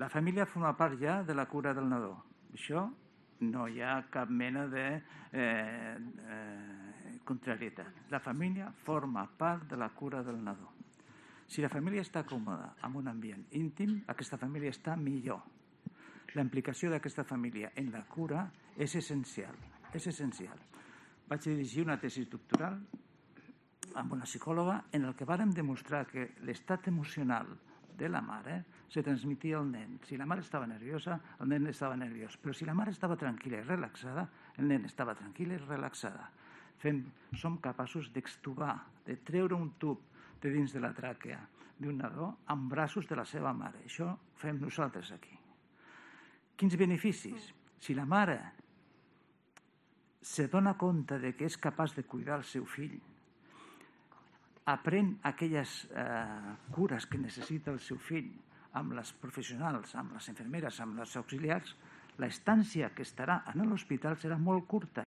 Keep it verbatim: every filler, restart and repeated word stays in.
La família forma part ja de la cura del nadó. Això no hi ha cap mena de eh, eh, contrarietat. La família forma part de la cura del nadó. Si la família està còmoda en un ambient íntim, aquesta família està millor. La implicació d'aquesta família en la cura és essencial. És essencial. Vaig dirigir una tesi doctoral amb una psicòloga en el que vàrem demostrar que l'estat emocional de la mare se transmetia al nen. Si la mare estava nerviosa, el nen estava nerviós. Però si la mare estava tranquil·la i relaxada, el nen estava tranquil i relaxada. Fem, som capaços d'extubar, de treure un tub de dins de la tràquea d'un nadó amb braços de la seva mare. Això fem nosaltres aquí. Quins beneficis? Si la mare se dona compte de que és capaç de cuidar el seu fill, aprèn aquelles eh, cures que necessita el seu fill amb les professionals, amb les infermeres, amb les auxiliars, l'estància que estarà en l'hospital serà molt curta.